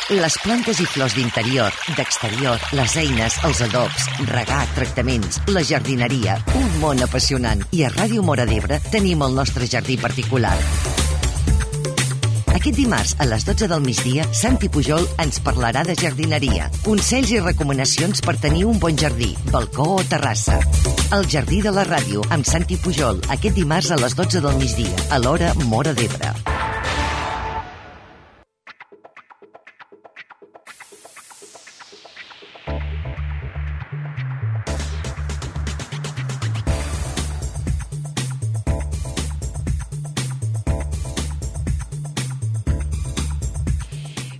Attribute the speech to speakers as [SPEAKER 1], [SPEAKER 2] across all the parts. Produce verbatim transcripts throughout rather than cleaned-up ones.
[SPEAKER 1] Les plantes i flors d'interior, d'exterior, les eines, els adobs, regar, tractaments, la jardineria, un món apassionant. I a Ràdio Móra d'Ebre tenim el nostre jardí particular. Aquest dimarts, a les dotze del migdia, Santi Pujol ens parlarà de jardineria, consells i recomanacions per tenir un bon jardí, balcó o terrassa. El Jardí de la Ràdio, amb Santi Pujol, aquest dimarts a les dotze del migdia, a l'hora Móra d'Ebre.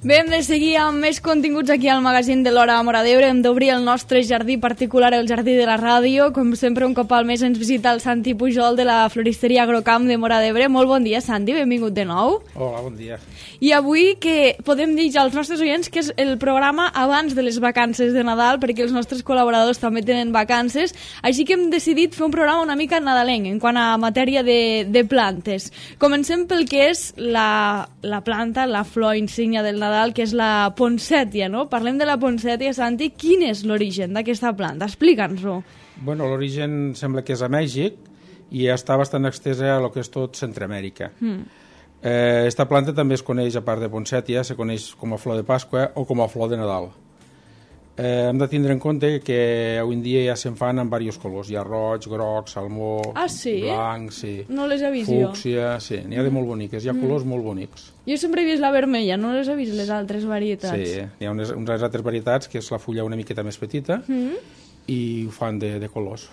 [SPEAKER 2] Bé, hem de seguir amb més continguts aquí al magazín de l'Hora Móra d'Ebre. Hem d'obrir el nostre jardí particular, el Jardí de la Ràdio. Com sempre, un cop al mes ens visita el Santi Pujol de la floristeria Agrocamp de Móra d'Ebre. Molt bon dia, Santi, benvingut de nou.
[SPEAKER 3] Hola, bon dia.
[SPEAKER 2] I avui que podem dir ja als nostres oients que és el programa abans de les vacances de Nadal, perquè els nostres col·laboradors també tenen vacances, així que hem decidit fer un programa una mica nadalenc en quant a matèria de, de plantes. Comencem pel que és la, la planta, la flor insígnia del Nadal, que és la ponsètia, no? Parlem de la ponsètia, Santi. Quin és l'origen d'aquesta planta? Explica'ns-ho.
[SPEAKER 3] Bueno, l'origen sembla que és a Mèxic i està bastant extesa a lo que és tot Centroamèrica. Mm. Eh, esta planta també es coneix, a part de ponsètia, se coneix com a flor de Pasqua o com a flor de Nadal. Eh, hem de tindre en compte que avui en dia ja se'n fan en diversos colors. Hi ha roig, groc, salmó,
[SPEAKER 2] ah, sí?
[SPEAKER 3] blanc, sí.
[SPEAKER 2] No les he vist
[SPEAKER 3] fúcsia, jo. Sí, n'hi ha de molt boniques, hi ha mm. colors molt bonics.
[SPEAKER 2] Jo sempre he vist la vermella, no les he vist les altres varietats.
[SPEAKER 3] Sí, hi ha unes, unes altres varietats que és la fulla una miqueta més petita mm. i ho fan de, de colors.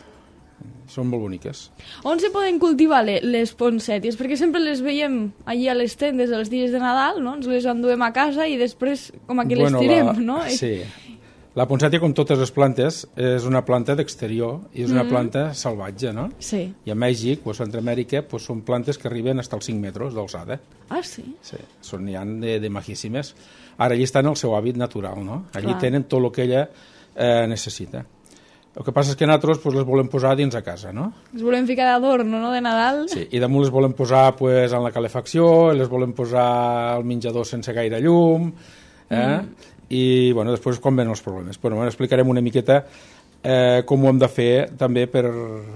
[SPEAKER 3] Són molt boniques.
[SPEAKER 2] On se poden cultivar les, les ponsèties? Perquè sempre les veiem allí a les tendes els dies de Nadal, no? Ens les enduem a casa i després com a que bueno, les tirem, la... no?
[SPEAKER 3] Sí. La ponsètia, com totes les plantes, és una planta d'exterior i és una mm. planta salvatge, no?
[SPEAKER 2] Sí.
[SPEAKER 3] I a Mèxic o a Centroamèrica pues, són plantes que arriben fins als cinc metres d'alçada.
[SPEAKER 2] Ah, sí?
[SPEAKER 3] Sí, són, n'hi ha de, de majíssimes. Ara, allí estan en el seu hàbit natural, no? Allí
[SPEAKER 2] Clar.
[SPEAKER 3] Tenen tot el que ella eh, necessita. El que passa és que nosaltres pues, les volem posar dins a casa, no?
[SPEAKER 2] Les volem ficar d'adorno, no?, de Nadal.
[SPEAKER 3] Sí, i damunt les volem posar pues, en la calefacció, les volem posar al menjador sense gaire llum, eh? Mm. I bueno, després com ven els problemes. Bueno, explicarem una miqueta eh, com ho hem de fer també per,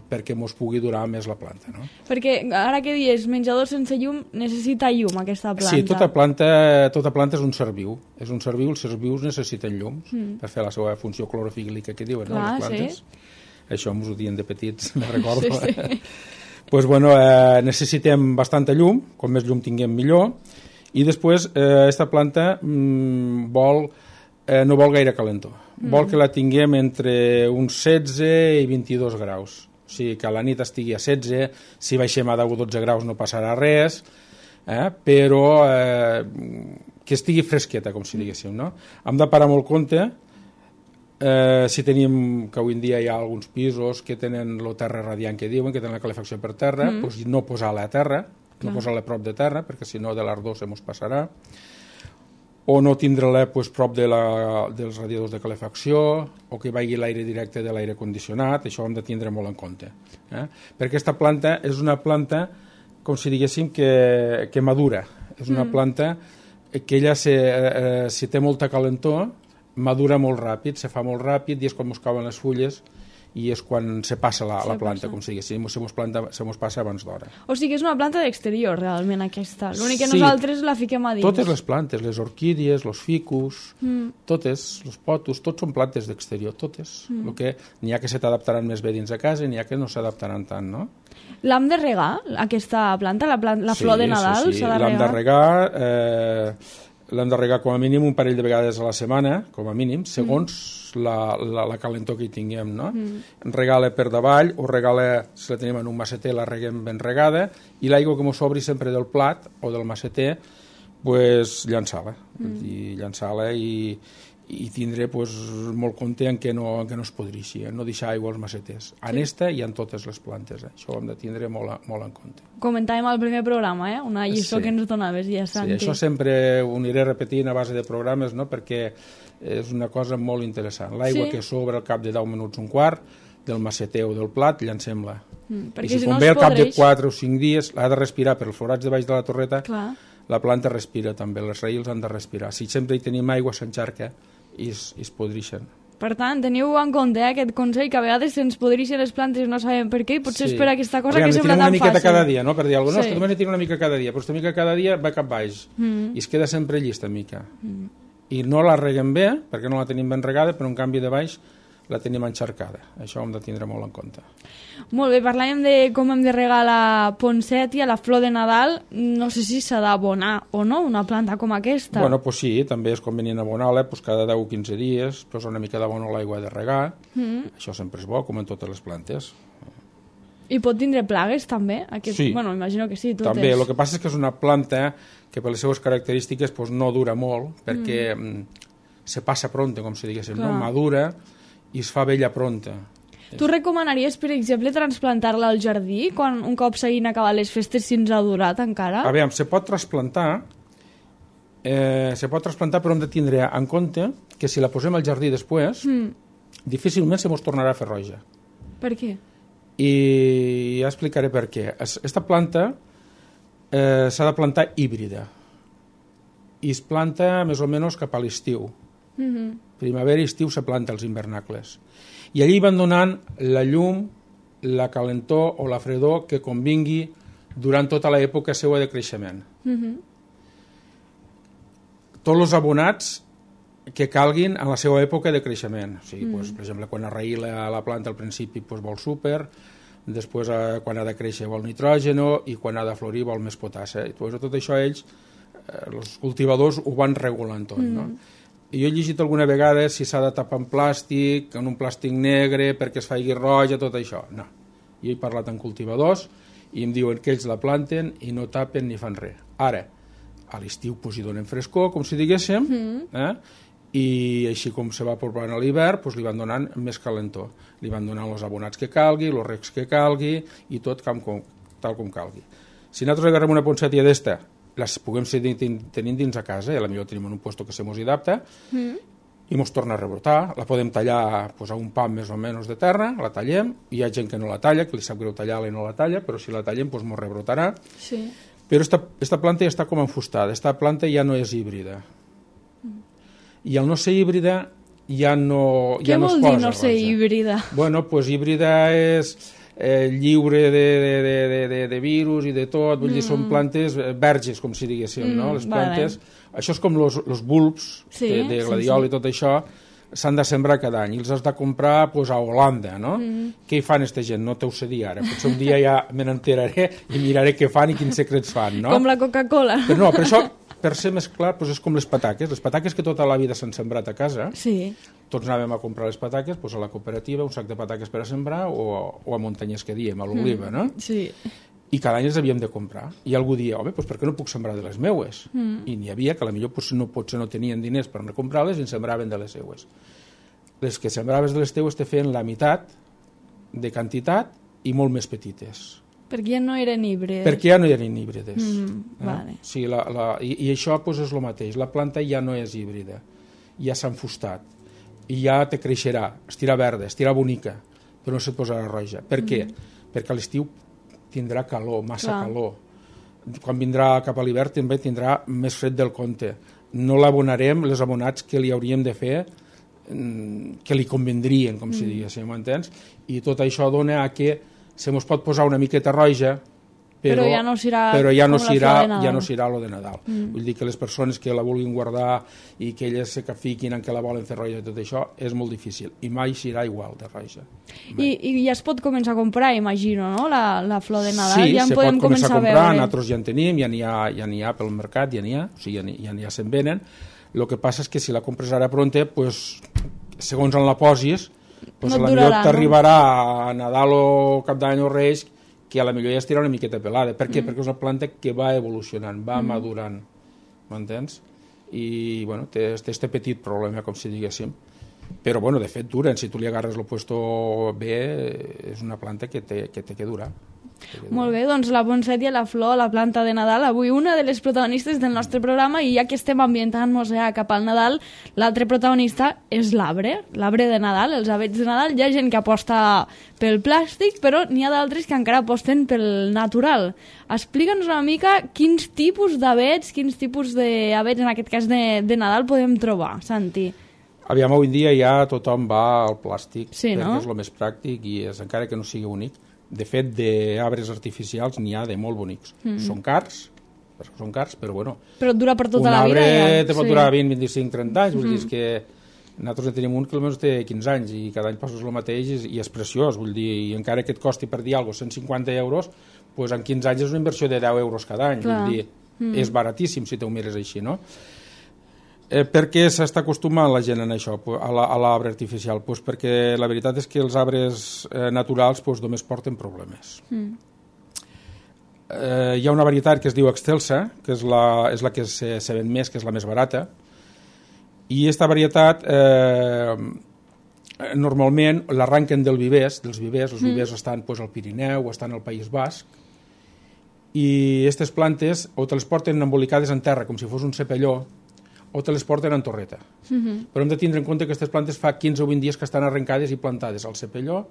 [SPEAKER 3] perquè mos pugui durar més la planta, no?
[SPEAKER 2] Perquè ara que dius menjador sense llum, necessita llum aquesta planta.
[SPEAKER 3] Sí, tota planta, tota planta és un ser viu. És un ser viu, els sers vius necessiten llum mm. per fer la seva funció clorofílica que diuen,
[SPEAKER 2] Clar,
[SPEAKER 3] no, les plantes.
[SPEAKER 2] Sí.
[SPEAKER 3] Això ens ho diuen de petits, me recordo.
[SPEAKER 2] Sí, sí.
[SPEAKER 3] Pues, bueno, eh, necessitem bastanta llum, com més llum tinguem millor. I després, eh, aquesta planta mm, vol, eh, no vol gaire calentor. Mm. Vol que la tinguem entre uns setze i vint-i-dos graus. O sigui, que a la nit estigui a setze, si baixem a deu o dotze graus no passarà res, eh, però eh, que estigui fresqueta, com si diguéssim, no? Hem de parar molt compte, eh, si tenim, que avui en dia hi ha alguns pisos que tenen la terra radiant que diuen, que tenen la calefacció per terra, mm. doncs no posar-la a terra, no posar-la prop de terra, perquè si no de l'ardor se mos passarà, o no tindre-la pues, prop de la, dels radiadors de calefacció, o que vagi l'aire directe de l'aire condicionat, això ho hem de tindre molt en compte. Eh? Perquè aquesta planta és una planta, com si diguéssim, que, que madura. És una mm. planta que ella, se, eh, si té molta calentor, madura molt ràpid, se fa molt ràpid, i és quan mos cauen les fulles, i és quan se passa la, se la planta, passa. Com si diguéssim, se mos, planta, se mos passa abans d'hora.
[SPEAKER 2] O sigui que és una planta d'exterior, realment, aquesta. L'únic que
[SPEAKER 3] sí.
[SPEAKER 2] nosaltres la fiquem a dins.
[SPEAKER 3] Totes les plantes, les orquídies, els ficus, mm. totes, els potos, tots són plantes d'exterior, totes. Mm. El que n'hi ha que se t'adaptaran més bé dins de casa i n'hi ha que no s'adaptaran tant, no?
[SPEAKER 2] L'hem de regar, aquesta planta, la, planta, la
[SPEAKER 3] sí,
[SPEAKER 2] flor de Nadal?
[SPEAKER 3] Sí, sí,
[SPEAKER 2] s'ha de
[SPEAKER 3] l'hem de regar... Eh, l'hem de regar com a mínim un parell de vegades a la setmana, com a mínim, segons mm. la, la, la calentor que hi tinguem, no? Mm. Regar-la per davall o regar-la, si la tenim en un maceter, la reguem ben regada, i l'aigua que mos sobri sempre del plat o del maceter, pues, llançar-la. Mm. I llançar-la i, i tindre pues, molt compte en què no, en què no es podreixi, eh? No deixar aigua als maceters. En sí. esta i en totes les plantes, eh? Això ho hem de tindre molt, molt en compte.
[SPEAKER 2] Comentàvem al primer programa, eh? Una lliçó sí. que ens donaves ja, Santi.
[SPEAKER 3] Sí, això sempre ho aniré repetint a base de programes, no? Perquè és una cosa molt interessant. L'aigua sí. que sobra al cap de deu minuts, un quart, del maceter o del plat, llancem-la. Mm, I si, si no ve al cap podreix... de quatre o cinc dies, l'ha de respirar per els forats de baix de la torreta, clar. la planta respira també, les raïls han de respirar. Si sempre hi tenim aigua, s'encharca i es, i es podrixen.
[SPEAKER 2] Per tant, teniu en compte eh, aquest consell, que a vegades se'ns podrixen les plantes i no sabem per què, i potser
[SPEAKER 3] sí.
[SPEAKER 2] és per aquesta cosa
[SPEAKER 3] Aviam,
[SPEAKER 2] que sembla tan fàcil.
[SPEAKER 3] una miqueta cada dia, no? Per dir alguna cosa,
[SPEAKER 2] sí.
[SPEAKER 3] no, només ne tinc una mica cada dia, però aquesta mica cada dia va cap baix
[SPEAKER 2] mm.
[SPEAKER 3] i es queda sempre llista mica.
[SPEAKER 2] Mm.
[SPEAKER 3] I no la reguem bé, perquè no la tenim ben regada, però en canvi de baix la tenim encharcada. Això ho hem de tindre molt en compte.
[SPEAKER 2] Molt bé, parlàvem de com hem de regar la poncètia, la flor de Nadal. No sé si s'ha d'abonar o no una planta com aquesta.
[SPEAKER 3] Bueno, pues sí, també és convenient abonar-la pues cada deu o quinze dies, posar una mica d'abono a l'aigua de regar. Mm. Això sempre és bo, com en totes les plantes.
[SPEAKER 2] I pot tindre plagues, també? Aquest...
[SPEAKER 3] Sí.
[SPEAKER 2] Bueno, imagino que sí. Totes.
[SPEAKER 3] També, el que passa és que és una planta que per les seves característiques pues, no dura molt, perquè mm. se passa pronta, com si diguéssim, no? Madura i es fa vella pronta.
[SPEAKER 2] Tu recomanaries, per exemple, transplantar-la al jardí quan un cop s'hagin acabat les festes, si ens ha durat encara?
[SPEAKER 3] A veure, se pot trasplantar, eh, se pot trasplantar, però hem de tindre en compte que si la posem al jardí després, mm. difícilment se mos tornarà a fer roja.
[SPEAKER 2] Per què?
[SPEAKER 3] I ja explicaré per què. Aquesta planta eh, s'ha de plantar híbrida i es planta més o menys cap a l'estiu. Mm-hmm. Primavera i estiu se planta els hivernacles. I allí van donant la llum, la calentor o la fredor que convingui durant tota l'època seva de creixement. Mm-hmm. Tots els abonats que calguin en la seva època de creixement. O sigui, mm. pues, per exemple, quan arraïla la planta al principi pues, vol súper, després eh, quan ha de créixer vol nitrògeno i quan ha de florir vol més potassa. I pues, tot això ells, eh, els cultivadors, ho van regulant tot, mm. no? I jo he llegit alguna vegada si s'ha de tapar en plàstic, en un plàstic negre, perquè es faci roja, tot això. No. Jo he parlat amb cultivadors i em diuen que ells la planten i no tapen ni fan res. Ara, a l'estiu pues, hi donen frescor, com si diguéssim, mm. eh? I així com se va apropant a l'hivern, pues, li van donant més calentor. Li van donant els abonats que calgui, els recs que calgui, i tot com, com, tal com calgui. Si nosaltres agarrem una poncètia d'esta, les puguem seguir tenint dins a casa, i potser tenim en un lloc que se mos adapta, mm. i mos torna a rebrotar. La podem tallar pues, a un pam més o menys de terra, la tallem, hi ha gent que no la talla, que li sap greu tallar-la i no la talla, però si la tallem pues, mos rebrotarà.
[SPEAKER 2] Sí.
[SPEAKER 3] Però esta, esta planta ja està com enfustada, esta planta ja no és híbrida. Mm. I al no ser híbrida ja no,
[SPEAKER 2] Què
[SPEAKER 3] ja no es
[SPEAKER 2] vol
[SPEAKER 3] posa
[SPEAKER 2] dir no ser
[SPEAKER 3] roja.
[SPEAKER 2] híbrida?
[SPEAKER 3] Bueno, pues híbrida és eh, lliure de, de, de, de, de virus i de tot, vull mm. dir, són plantes verges, com si diguéssim, mm, no? Les plantes, vale. Això és com els bulbs sí, de, de gladiol sí, sí. i tot això, s'han de sembrar cada any, i els has de comprar pues, a Holanda, no? Mm. Què hi fan aquesta gent? No t'ho sé dir ara, potser un dia ja me n'enteraré i miraré què fan i quins secrets fan, no?
[SPEAKER 2] Com la Coca-Cola.
[SPEAKER 3] Però no, per això, per ser més clar, doncs és com les pataques. Les pataques que tota la vida s'han sembrat a casa,
[SPEAKER 2] sí.
[SPEAKER 3] tots anàvem a comprar les pataques doncs a la cooperativa, un sac de pataques per a sembrar, o, o a muntanyes que diem, a l'oliva, mm. no?
[SPEAKER 2] Sí.
[SPEAKER 3] I cada any les havíem de comprar. I algú dia, home, doncs per què no puc sembrar de les meues? Mm. I n'hi havia que potser pues, no, potser no tenien diners per no comprar-les i en sembraven de les seues. Les que sembraves de les teues te feien la meitat de quantitat i molt més petites.
[SPEAKER 2] Perquè ja no eren híbrides.
[SPEAKER 3] Perquè ja no eren híbrides.
[SPEAKER 2] Mm,
[SPEAKER 3] eh?
[SPEAKER 2] vale.
[SPEAKER 3] Sí, la, la, i, I això pues, és el mateix. La planta ja no és híbrida. Ja s'ha enfustat. I ja te creixerà. Estirà verda, estirà bonica, però no se't posarà roja. Per mm. què? Perquè a l'estiu tindrà calor, massa Clar. calor. Quan vindrà cap a l'hivern també tindrà més fred del compte. No l'abonarem les abonats que li hauríem de fer que li convendrien, com mm. si diguéssim, m'entens? I tot això dona a que se mos pot posar una miqueta roja, però,
[SPEAKER 2] però ja no serà
[SPEAKER 3] però ja no
[SPEAKER 2] com
[SPEAKER 3] serà,
[SPEAKER 2] la flor de Nadal.
[SPEAKER 3] Ja no serà lo de Nadal. Mm. Vull dir que les persones que la vulguin guardar i que elles se fiquin en que la volen fer roja i tot això, és molt difícil. I mai serà igual de roja.
[SPEAKER 2] I, I ja es pot començar a comprar, imagino, no? La, la flor de Nadal.
[SPEAKER 3] Sí,
[SPEAKER 2] ja en
[SPEAKER 3] se
[SPEAKER 2] podem
[SPEAKER 3] pot començar a comprar,
[SPEAKER 2] a
[SPEAKER 3] nosaltres ja en tenim, ja n'hi ha, ja n'hi ha pel mercat, ja n'hi ha, o sigui, ja n'hi, ja n'hi ha se'n venen. El que passa és que si la compres ara pronta, pues, segons on la posis, pues no a la millor t'arribarà no? a Nadal o Cap d'Any o Reis, que a la millor ja estirà una miqueta pelada. Per què? Mm. Perquè és una planta que va evolucionant, va mm. madurant, m'entens? I, bueno, té este petit problema, com si diguéssim. Però, bueno, de fet, duren. Si tu li agarres el puesto bé, és una planta que té que, té que durar.
[SPEAKER 2] Molt bé, doncs la poncètia, la flor, la planta de Nadal, avui una de les protagonistes del nostre programa, i ja que estem ambientant-nos ja cap al Nadal, l'altre protagonista és l'arbre, l'arbre de Nadal, els avets de Nadal. Hi ha gent que aposta pel plàstic, però n'hi ha d'altres que encara aposten pel natural. Explica'ns una mica quins tipus d'avets, quins tipus d'avets, en aquest cas de, de Nadal, podem trobar, Santi.
[SPEAKER 3] Aviam, avui en dia ja tothom va al plàstic,
[SPEAKER 2] sí,
[SPEAKER 3] perquè
[SPEAKER 2] no?
[SPEAKER 3] és el més pràctic i és, encara que no sigui únic. De fet, d'arbres artificials n'hi ha de molt bonics. Mm. Són cars, perquè són cars, però bueno...
[SPEAKER 2] Però dura per tota la vida.
[SPEAKER 3] Un arbre
[SPEAKER 2] ja.
[SPEAKER 3] te pot
[SPEAKER 2] sí.
[SPEAKER 3] durar vint, vint-i-cinc, trenta anys, vull
[SPEAKER 2] Mm.
[SPEAKER 3] dir, és que nosaltres en tenim un que almenys té quinze anys i cada any passes el mateix i, i és preciós, vull dir, i encara que et costi per dir alguna cosa cent cinquanta euros, doncs en quinze anys és una inversió de deu euros cada any,
[SPEAKER 2] Clar.
[SPEAKER 3] vull dir,
[SPEAKER 2] Mm.
[SPEAKER 3] és baratíssim si te ho mires així, no? Eh, per què s'està acostumant la gent a això, a l'arbre artificial? Pues perquè la veritat és que els arbres eh, naturals pues, només porten problemes. Mm. Eh, hi ha una varietat que es diu Excelsa, que és la, és la que se, se ven més, que és la més barata, i aquesta varietat eh, normalment l'arranquen del vivers, dels vivers, els vivers mm. estan pues, al Pirineu o estan al País Basc, i aquestes plantes o te les porten embolicades en terra, com si fos un cepelló, o te les porten en torreta. Uh-huh. Però hem de tindre en compte que aquestes plantes fa quinze o vint dies que estan arrencades i plantades al cepelló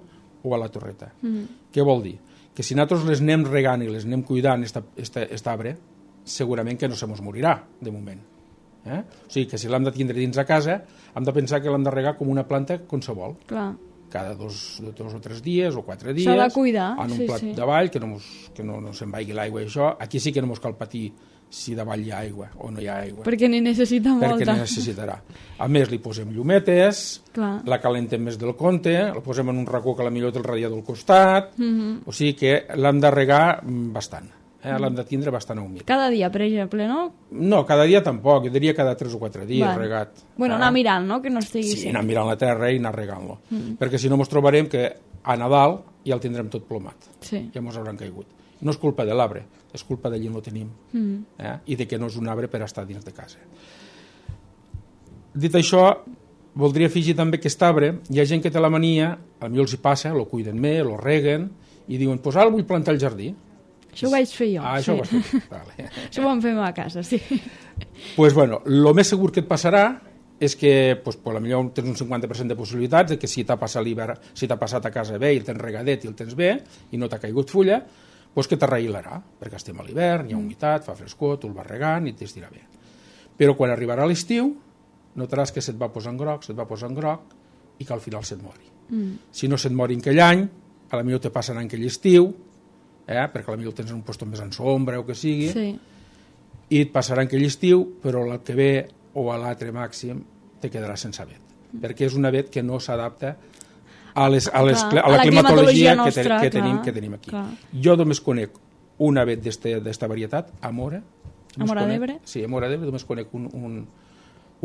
[SPEAKER 3] o a la torreta. Uh-huh. Què vol dir? Que si nosaltres les anem regant i les anem cuidant, aquest arbre, segurament que no se mos morirà, de moment. Eh? O sigui, que si l'hem de tindre dins a casa, hem de pensar que l'hem de regar com una planta qualsevol. Clar. Cada dos, dos o tres dies o quatre dies.
[SPEAKER 2] S'ha de cuidar.
[SPEAKER 3] En un
[SPEAKER 2] sí,
[SPEAKER 3] plat
[SPEAKER 2] sí.
[SPEAKER 3] de vall, que no, mos, que no, no se'n vagi l'aigua i això. Aquí sí que no mos cal patir si davall hi ha aigua o no hi ha aigua.
[SPEAKER 2] Perquè n'hi necessita molta.
[SPEAKER 3] Perquè n'hi necessitarà. A més, li posem llumetes, Clar. la calentem més del compte, la posem en un racó que potser té el radiador al costat, mm-hmm. o sigui que l'hem de regar bastant. Eh? Mm. L'hem de tindre bastant humit.
[SPEAKER 2] Cada dia, per exemple, no?
[SPEAKER 3] No, cada dia tampoc, jo diria cada tres o quatre dies vale. regat.
[SPEAKER 2] Bueno, ah. anar mirant, no?, que no estigui...
[SPEAKER 3] Sí, anar mirant la terra i anar regant-lo. Mm. Perquè si no ens trobarem que a Nadal ja el tindrem tot plomat. Sí. Ja ens hauran caigut. No és culpa de l'arbre, és culpa d'allí on ho tenim. Mm. Eh? I de que no és un arbre per estar dins de casa. Dit això, voldria afegir també que aquest arbre, hi ha gent que té la mania, potser els hi passa, lo cuiden més, lo reguen, i diuen, pues ara vull plantar el jardí.
[SPEAKER 2] Això ho vaig fer jo.
[SPEAKER 3] Ah, això
[SPEAKER 2] sí.
[SPEAKER 3] ho vas fer. Vale.
[SPEAKER 2] Això ho vam fer a casa, sí.
[SPEAKER 3] Pues bueno, el més segur que et passarà és que pues, pues, potser tens un cinquanta per cent de possibilitats de que si t'ha passat l'hivern, si t'ha passat a casa bé i el tens regadet i el tens bé i no t'ha caigut fulla, pues que t'arraïlarà, perquè estem a l'hivern, hi ha humitat, fa frescor, tu el vas regant i t'estirà bé. Però quan arribarà l'estiu, notaràs que se't va posar en groc, se't va posar en groc i que al final se't mori. Mm. Si no se't mori en aquell any, a la millor te passen en aquell estiu, eh, perquè a la millor el tens en un lloc més en sombra o que sigui, sí. i et passarà en aquell estiu, però l'any que ve o a l'altre màxim te quedarà sense avet, mm. perquè és un avet que no s'adapta a, les, a, les, clar, a la, la climatologia, climatologia nostra, que, te, que, tenim, que tenim aquí. Clar. Jo només conec un avet d'esta varietat, Amora.
[SPEAKER 2] Amora d'Ebre?
[SPEAKER 3] Sí, Amora d'Ebre, només conec un, un,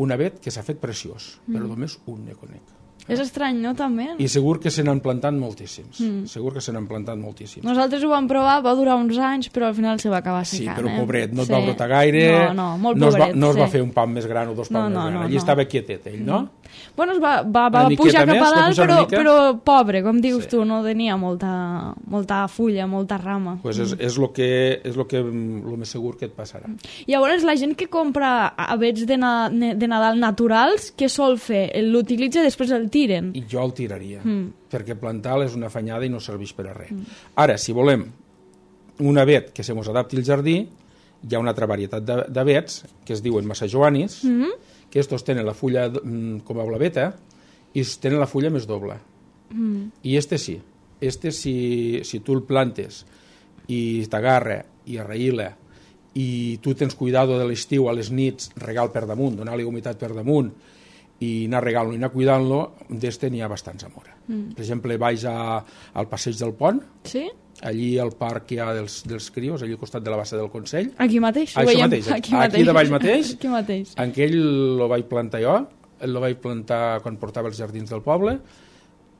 [SPEAKER 3] un avet que s'ha fet preciós, mm. però només un ne conec.
[SPEAKER 2] És estrany, no, també?
[SPEAKER 3] I segur que se n'han plantat moltíssims. Mm. Segur que se n'han plantat moltíssims.
[SPEAKER 2] Nosaltres ho vam provar, va durar uns anys, però al final se va acabar secant.
[SPEAKER 3] Sí, però
[SPEAKER 2] eh?
[SPEAKER 3] pobret, no et
[SPEAKER 2] sí.
[SPEAKER 3] va brotar gaire,
[SPEAKER 2] no, no, molt
[SPEAKER 3] no,
[SPEAKER 2] pobret,
[SPEAKER 3] es va, no es va
[SPEAKER 2] sí.
[SPEAKER 3] fer un pam més gran o dos pams
[SPEAKER 2] no, no,
[SPEAKER 3] més gran.
[SPEAKER 2] No,
[SPEAKER 3] Allí
[SPEAKER 2] no.
[SPEAKER 3] estava quietet, ell, no?
[SPEAKER 2] Bueno, es va, va, va pujar cap a dalt, però, però pobre, com dius sí. tu, no tenia molta, molta fulla, molta rama.
[SPEAKER 3] Pues és, és el que, és lo que, lo més segur que et passarà.
[SPEAKER 2] Llavors, la gent que compra avets de, na, de Nadal naturals, què sol fer? L'utilitza i després el tiren?
[SPEAKER 3] I jo el tiraria, mm. perquè plantar és una afanyada i no serveix per a res. Mm. Ara, si volem un avet que se mos adapti al jardí, hi ha una altra varietat d'avets que es diuen massajoanis, mm-hmm. que estos tenen la fulla com a blaveta i tenen la fulla més doble. Mm. I este sí. Este, si, si tu el plantes i t'agarra i arraïla i tu tens cuidado de l'estiu a les nits, regal per damunt, donar-li humitat per damunt i anar regant-lo i anar cuidant-lo, d'este n'hi ha bastants amora. Mm. Per exemple, vaig a, al passeig del Pont,
[SPEAKER 2] sí?
[SPEAKER 3] allí al parc que hi ha dels, dels crios, allí al costat de la bassa del Consell.
[SPEAKER 2] Aquí mateix?
[SPEAKER 3] Això veiem, mateix, aquí, aquí, aquí davall mateix.
[SPEAKER 2] Aquí mateix.
[SPEAKER 3] En aquell lo vaig plantar jo, el vaig plantar quan portava els jardins del poble,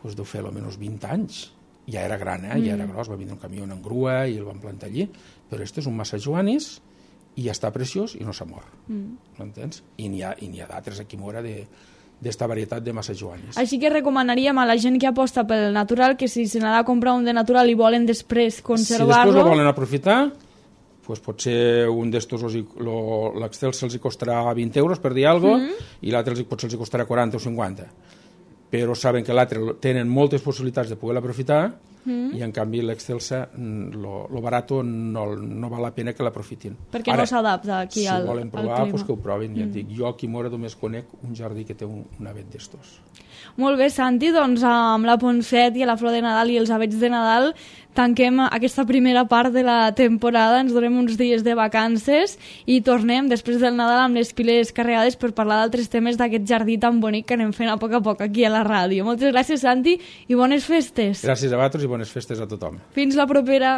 [SPEAKER 3] doncs deu fer almenys vint anys. Ja era gran, eh? Mm. Ja era gros, va vindre un camió en grua i el van plantar allí, però este és un massajoanis i ja està preciós i no s'ha mort. Mm. M'entens? I n'hi ha, i n'hi ha d'altres aquí mora de, d'esta varietat de massajoanis.
[SPEAKER 2] Així que recomanaríem a la gent que aposta pel natural que si se n'ha de comprar un de natural i volen després conservar-lo...
[SPEAKER 3] Si després ho volen aprofitar, pues potser un d'estos l'Excel se'ls costarà vint euros, per dir alguna cosa, mm. i l'altre potser els costarà quaranta o cinquanta. Però saben que l'altre tenen moltes possibilitats de poder aprofitar, mm. i en canvi l'Excelsa, lo, lo barato no, no val la pena que l'aprofitin.
[SPEAKER 2] Perquè Ara, no s'adapta aquí
[SPEAKER 3] si
[SPEAKER 2] al,
[SPEAKER 3] al, volen provar,
[SPEAKER 2] al clima.
[SPEAKER 3] Pues que ho provin. Mm. Ja et dic, jo aquí a Móra només conec un jardí que té un, un avet d'estos.
[SPEAKER 2] Molt bé, Santi, doncs amb la Ponset i la Flor de Nadal i els avets de Nadal tanquem aquesta primera part de la temporada, ens donem uns dies de vacances i tornem després del Nadal amb les piles carregades per parlar d'altres temes d'aquest jardí tan bonic que anem fent a poc a poc aquí a la ràdio. Moltes gràcies, Santi, i bones festes.
[SPEAKER 3] Gràcies a vosaltres i bones festes a tothom.
[SPEAKER 2] Fins la propera.